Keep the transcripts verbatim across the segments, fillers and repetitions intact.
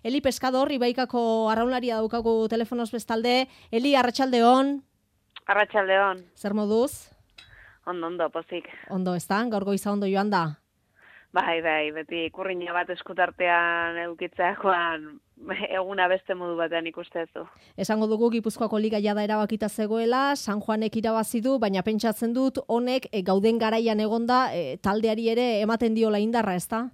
Eli Pescador, Ibaikako arraunlaria daukagu telefonoz bestalde. Eli, arratsaldeon. Arratsaldeon. Zer moduz? Ondo, ondo, pozik. Ondo, ez da? Gaur goiza ondo joan da? Bai, bai, beti kurriña bat eskutartean edukitzeakoan eguna beste modu batean ikustezu. Esango dugu Gipuzkoako liga jada erabakita zegoela, San Juanek irabazi du, baina pentsatzen dut honek e, gauden garaian egonda e, taldeari ere ematen diola indarra, ez da?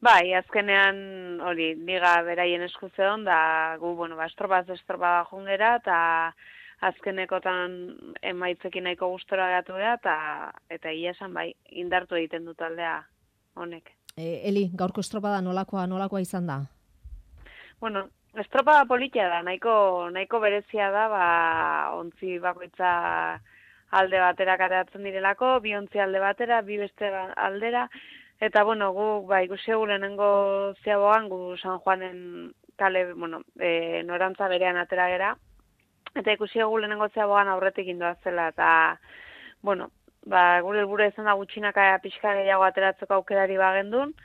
Bai, azkenean hori liga beraien esku zeon da gu bueno, ba estropaz estropa jungera ta azkenekotan emaitzekin nahiko gustora gatu da ta eta ia esan bai indartu egiten du taldea honek. E, Eli, gaurko estropada nolakoa nolakoa izan da? Bueno, estropada politia da, nahiko nahiko berezia da, ba ontzi bakoitza alde batera karatzen direlako, bi ontzi alde batera, bi beste aldera. Eta, bueno, gu, ba, ikusi egu lehenengo ziaboan, gu San Juanen kale, bueno, e, norantza berean atera gera. Eta ikusi egu lehenengo ziaboan aurretik indoa zela, eta, bueno, ba, gure helburua izan da gutxinaka pixka gehiago ateratzeko aukerari bagendun.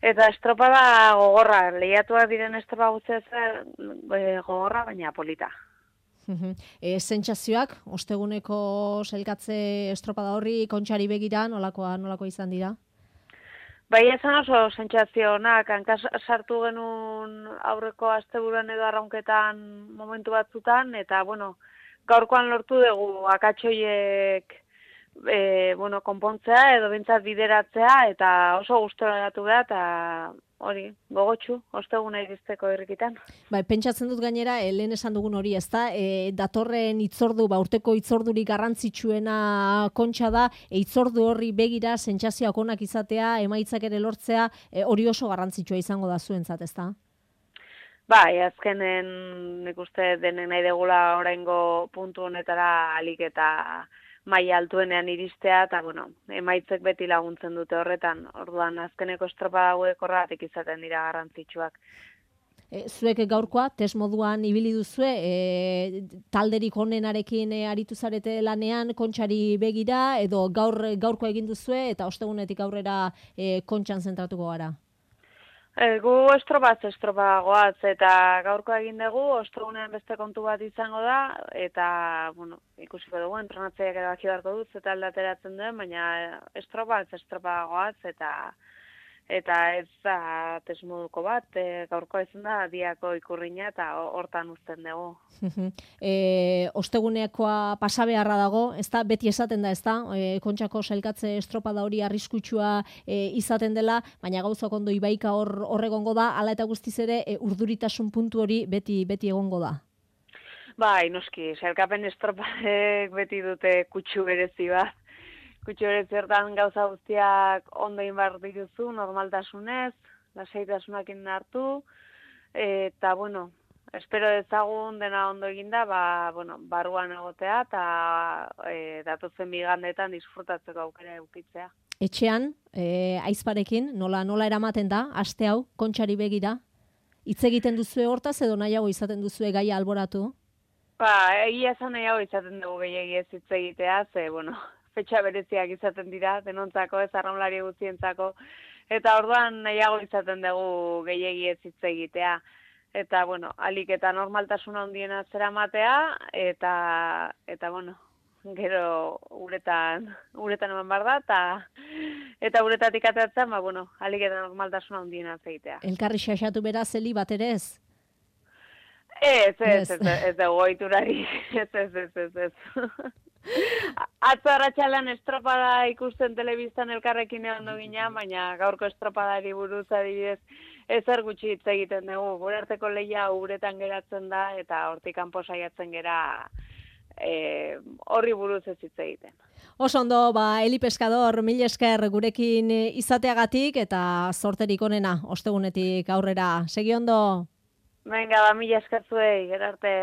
Eta estropada gogorra, lehiatuak diren estropa guztia e, gogorra, baina polita. e, Sentsazioak, osteguneko sailkatze estropada horri, kontxari begira, nolakoa, nolakoa izan dira? Bai, esan oso sentsazio onak, hanka sartu genuen aurreko asteburuan edo arraunketan momentu batzutan, eta, bueno, gaurkoan lortu dugu akatsoiek e, bueno, konpontzea edo bintzat bideratzea, eta oso gustora gatu da, eta hori, gogotsu, osteguna iristeko irrikitan. Bai, pentsatzen dut gainera, e, lehen esan dugun hori, ez da, e, datorren itzordu, ba, urteko itzordurik garrantzitsuena kontxa da, e, itzordu horri begira, sentsazioak onak izatea, emaitzak ere lortzea, e, hori oso garrantzitsua izango da zuentzat, ez da? Bai, azkenen nik uste denek nahi degula oraingo puntu honetara alik eta maila altuenean iristea, eta, bueno, emaitzek beti laguntzen dute horretan, orduan azkeneko estropada hauek horregatik izaten dira garrantzitsuak. E, zuek gaurkoa, test moduan ibili duzue, e, talderik onenarekin e, aritu zarete lanean, kontxari begira, edo gaur gaurkoa egin duzue, eta ostegunetik aurrera e, kontxan zentratuko gara? E, gu estropaz estropa goaz, eta gaurko egin dugu, ostegunean beste kontu bat izango da, eta, bueno, ikusiko dugu, entrenatzeiak erabaki beharko dut, eta aldateratzen duen, baina estropaz estropa goaz, eta eta ez da tesmoduko bat, e, gaurkoa izan da, diako ikurriña, eta hortan uzten dugu. e, ostegunekoa pasabeharra dago, ez da, beti esaten da, ez da, e, kontxako sailkatze estropada hori arriskutsua e, izaten dela, baina gauzak ondo Ibaika hor horregongo da, hala eta guztiz ere, e, urduritasun puntu hori beti beti egongo da. Bai, noski, sailkapen estropadek beti dute kutsu berezi bat. Kutsu berezi hortan gauza guztiak ondo inbar dituzu, normaltasunez, lasaitasunakin hartu, eta, bueno, espero dezagun dena ondo eginda, ba, bueno, barruan egotea, eta e, datozen bigandetan disfrutatzeko aukera eukitzea. Etxean, e, aizparekin, nola nola eramaten da, aste hau, kontxari begira? Hitz egiten duzue hortaz edo nahiago izaten duzue gaia alboratu? Ba, egia esan nahiago izaten dugu gehiagiez hitz egitea, ze, bueno, fetxa bereziak izaten dira, denontzako, ez arraunlari guztientzako, eta orduan nahiago izaten dugu gehiagiez hitz egitea. Eta, bueno, alik eta normaltasuna handiena zeramatea, eta, eta, bueno, gero uretan, uretan eman bar da, eta, eta uretatik ateratzen, ba, bueno, alik eta normaltasuna handiena egitea. Elkarri xaxatu beraz, Eli, bat ere ez? Ez, ez, ez, ez, ez dugu ohiturari, ez, ez, ez, ez, ez. Atzo arratsaldean estropada ikusten telebistan elkarrekin ondo ginean, baina gaurko estropadari buruz adibidez ezer gutxi hitz egiten dugu. Gure arteko lehia uretan geratzen da eta hortik kanpo saiatzen gera e, horri buruz ez hitz egiten. Oso ondo, ba, Eli Pescador, mil esker gurekin izateagatik eta zorterik onena ostegunetik aurrera. Segi ondo? Venga, ba, mila esker zuei, gero arte.